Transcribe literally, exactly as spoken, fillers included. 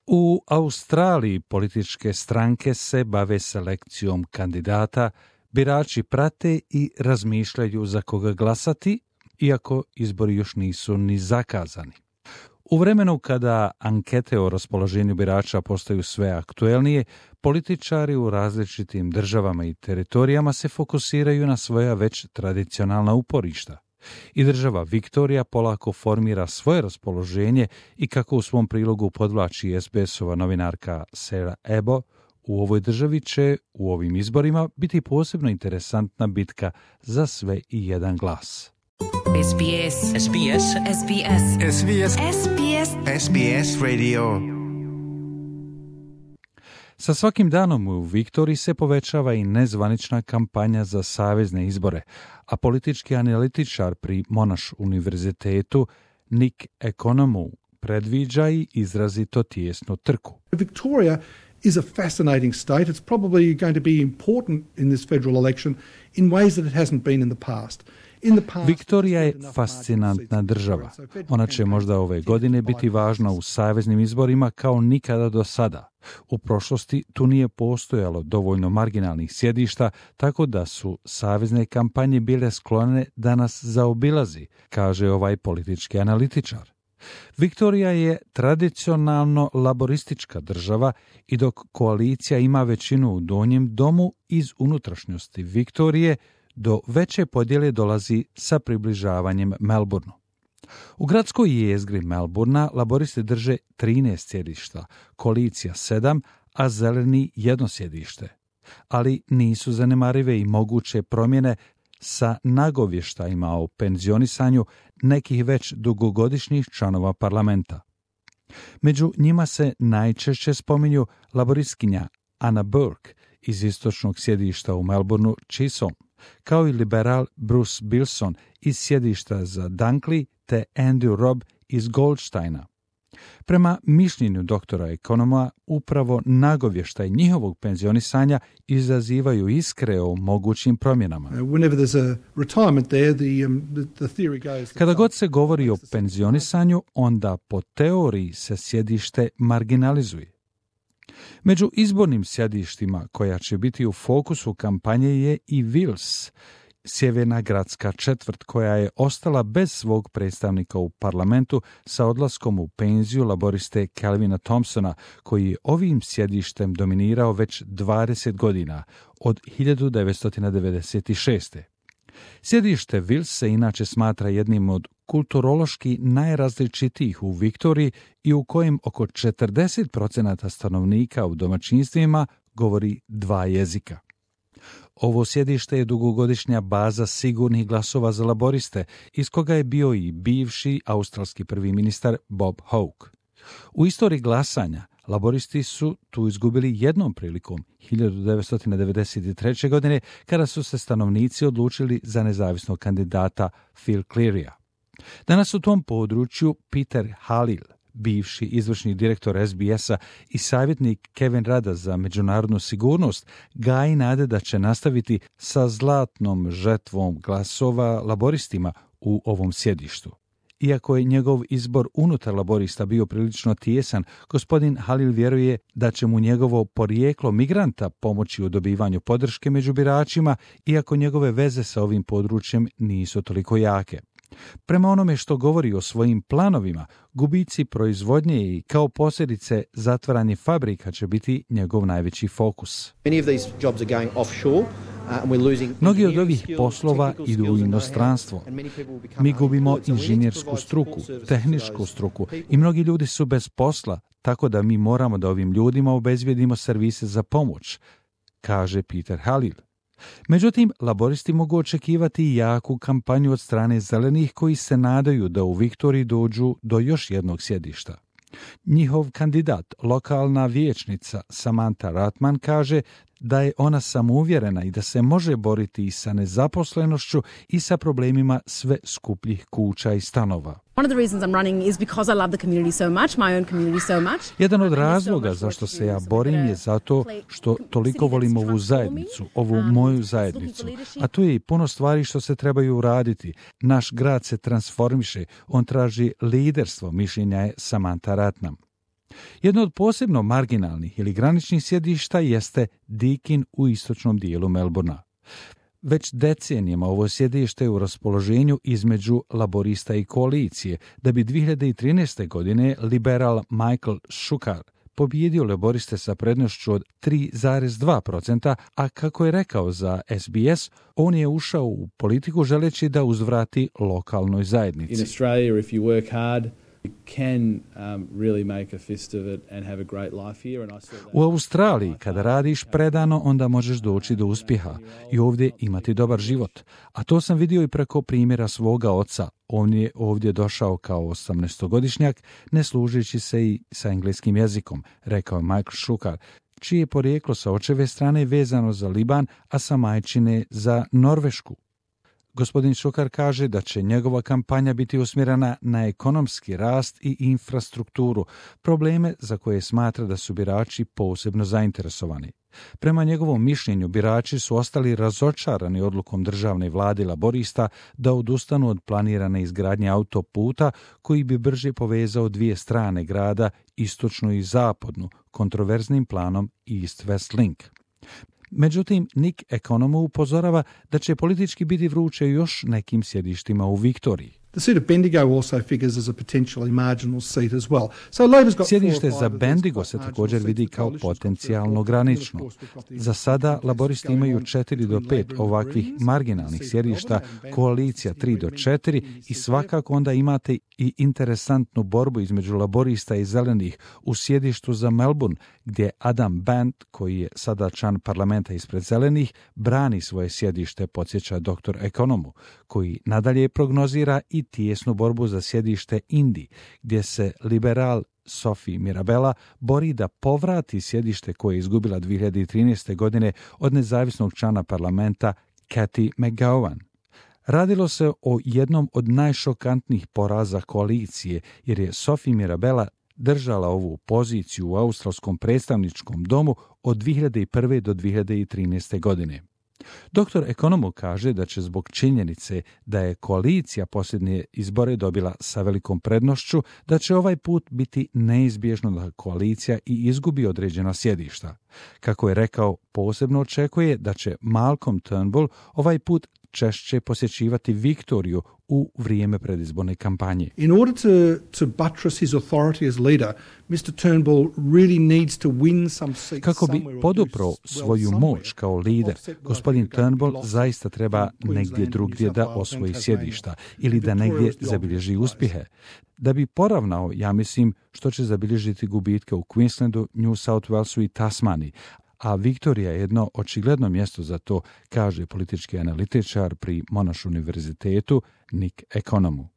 U Australiji političke stranke se bave selekcijom kandidata, birači prate i razmišljaju za koga glasati, iako izbori još nisu ni zakazani. U vremenu kada ankete o raspoloženju birača postaju sve aktuelnije, političari u različitim državama i teritorijama se fokusiraju na svoja već tradicionalna uporišta. I država Viktorija polako formira svoje raspoloženje i kako u svom prilogu podvlači es be es-ova novinarka Sarah Ebo, u ovoj državi će u ovim izborima biti posebno interesantna bitka za sve i jedan glas. es be es. es be es. es be es. es be es. es be es. es be es Radio. Sa svakim danom u Viktoriji se povećava i nezvanična kampanja za savezne izbore, a politički analitičar pri Monash univerzitetu Nick Economou predviđa i izrazito tijesnu trku. Victoria is a fascinating state. It's probably going to be important in this federal election in ways that it hasn't been in the past. Viktorija je fascinantna država. Ona će možda ove godine biti važna u saveznim izborima kao nikada do sada. U prošlosti tu nije postojalo dovoljno marginalnih sjedišta, tako da su savezne kampanje bile sklone da nas zaobilazi, kaže ovaj politički analitičar. Viktorija je tradicionalno laboristička država i dok koalicija ima većinu u donjem domu, iz unutrašnjosti Viktorije do veće podjele dolazi sa približavanjem Melbourneu. U gradskoj jezgri Melbourna laboristi drže trinaest sjedišta, koalicija sedam, a zeleni jedno sjedište. Ali nisu zanemarive i moguće promjene sa nagovještajima o penzionisanju nekih već dugogodišnjih članova parlamenta. Među njima se najčešće spominju laboristkinja Anna Burke iz istočnog sjedišta u Melbourneu Chisholm, kao i liberal Bruce Bilson iz sjedišta za Dunkley te Andrew Robb iz Goldsteina. Prema mišljenju doktora Economa, upravo nagovještaj njihovog penzionisanja izazivaju iskre o mogućim promjenama. Kada god se govori o penzionisanju, onda po teoriji se sjedište marginalizuje. Među izbornim sjedištima koja će biti u fokusu kampanje je i Wills, sjeverna gradska četvrt koja je ostala bez svog predstavnika u parlamentu sa odlaskom u penziju laboriste Calvina Thompsona, koji je ovim sjedištem dominirao već dvadeset godina, od hiljadu devetsto devedeset šeste. Sjedište Wills se inače smatra jednim od kulturološki najrazličitijih u Viktoriji i u kojem oko četrdeset posto stanovnika u domaćinstvima govori dva jezika. Ovo sjedište je dugogodišnja baza sigurnih glasova za laboriste, iz koga je bio i bivši australski prvi ministar Bob Hawke. U istoriji glasanja laboristi su tu izgubili jednom prilikom, hiljadu devetsto devedeset treće. godine, kada su se stanovnici odlučili za nezavisnog kandidata Phil Clearya. Danas u tom području Peter Halil, bivši izvršni direktor es be es-a i savjetnik Kevin Rada za međunarodnu sigurnost, gaji nade da će nastaviti sa zlatnom žetvom glasova laboristima u ovom sjedištu. Iako je njegov izbor unutar laborista bio prilično tijesan, gospodin Halil vjeruje da će mu njegovo porijeklo migranta pomoći u dobivanju podrške među biračima, iako njegove veze sa ovim područjem nisu toliko jake. Prema onome što govori o svojim planovima, gubici proizvodnje i kao posljedice zatvaranje fabrika će biti njegov najveći fokus. Mnogi od ovih poslova idu u inostranstvo. Mi gubimo inženjersku struku, tehničku struku i mnogi ljudi su bez posla, tako da mi moramo da ovim ljudima obezbijedimo servise za pomoć, kaže Peter Halil. Međutim, laboristi mogu očekivati jaku kampanju od strane zelenih koji se nadaju da u Viktoriji dođu do još jednog sjedišta. Njihov kandidat, lokalna vijećnica Samantha Ratman, kaže da je ona samouvjerena i da se može boriti i sa nezaposlenošću i sa problemima sve skupljih kuća i stanova. Jedan od razloga zašto se ja borim je zato što toliko volim ovu zajednicu, ovu moju zajednicu. A tu je i puno stvari što se trebaju uraditi. Naš grad se transformiše, on traži liderstvo, mišljenja je Samantha Ratnam. Jedno od posebno marginalnih ili graničnih sjedišta jeste Deakin u istočnom dijelu Melbourna. Već decenijama ovo sjedište je u raspoloženju između laborista i koalicije, da bi dvije hiljade trinaeste. godine liberal Michael Shukar pobijedio laboriste sa prednošću od tri zarez dva posto, a kako je rekao za S B S, on je ušao u politiku želeći da uzvrati lokalnoj zajednici. In Australia, if you work hard, you can um, really make a fist of it and have a great life here. And I saw that. U Australiji, kada radiš predano, onda možeš doći do uspjeha i ovdje imati dobar život. A to sam vidio i preko primjera svoga oca. On je ovdje došao kao osamnaestogodišnjak, ne služeći se i sa engleskim jezikom, rekao je Michael Shukar, čije je porijeklo sa očeve strane vezano za Liban, a sa majčine za Norvešku. Gospodin Shukar kaže da će njegova kampanja biti usmjerena na ekonomski rast i infrastrukturu, probleme za koje smatra da su birači posebno zainteresovani. Prema njegovom mišljenju, birači su ostali razočarani odlukom državne vlade laborista da odustanu od planirane izgradnje autoputa koji bi brže povezao dvije strane grada, istočnu i zapadnu, kontroverznim planom East West Link. Međutim, Nick Economo upozorava da će politički biti vruće još nekim sjedištima u Viktoriji. The seat of Bendigo also figures as a potentially marginal seat as well. So Labor's got Sjedište za Bendigo se također vidi kao potencijalno granično. Za sada laboristi imaju četiri do pet ovakvih marginalnih sjedišta, koalicija tri do četiri i svakako onda imate i interesantnu borbu između laborista i zelenih u sjedištu za Melbourne, gdje Adam Bent, koji je sada član parlamenta ispred zelenih, brani svoje sjedište, podsjeća doktor Economo, koji nadalje prognozira i tijesnu borbu za sjedište Indi, gdje se liberal Sophie Mirabella bori da povrati sjedište koje je izgubila dvije hiljade trinaeste. godine od nezavisnog člana parlamenta Cathy McGowan. Radilo se o jednom od najšokantnijih poraza koalicije, jer je Sophie Mirabella držala ovu poziciju u australskom predstavničkom domu od dvije hiljade prve. do dvije hiljade trinaeste. godine. Doktor Economo kaže da će zbog činjenice da je koalicija posljednje izbore dobila sa velikom prednošću, da će ovaj put biti neizbježno da koalicija i izgubi određena sjedišta. Kako je rekao, posebno očekuje da će Malcolm Turnbull ovaj put češće posjećivati Viktoriju u vrijeme predizborne kampanje. In order to, to buttress his authority as leader, mister Turnbull really needs to win some seats. Kako bi podupro svoju moć kao lider, gospodin Turnbull zaista treba negdje drugdje da osvoji sjedišta ili da negdje zabilježi uspjehe. Da bi poravnao, ja mislim, što će zabilježiti gubitke u Queenslandu, New South Walesu i Tasmaniji, a Viktorija je jedno očigledno mjesto za to, kaže politički analitičar pri Monash univerzitetu Nick Economo.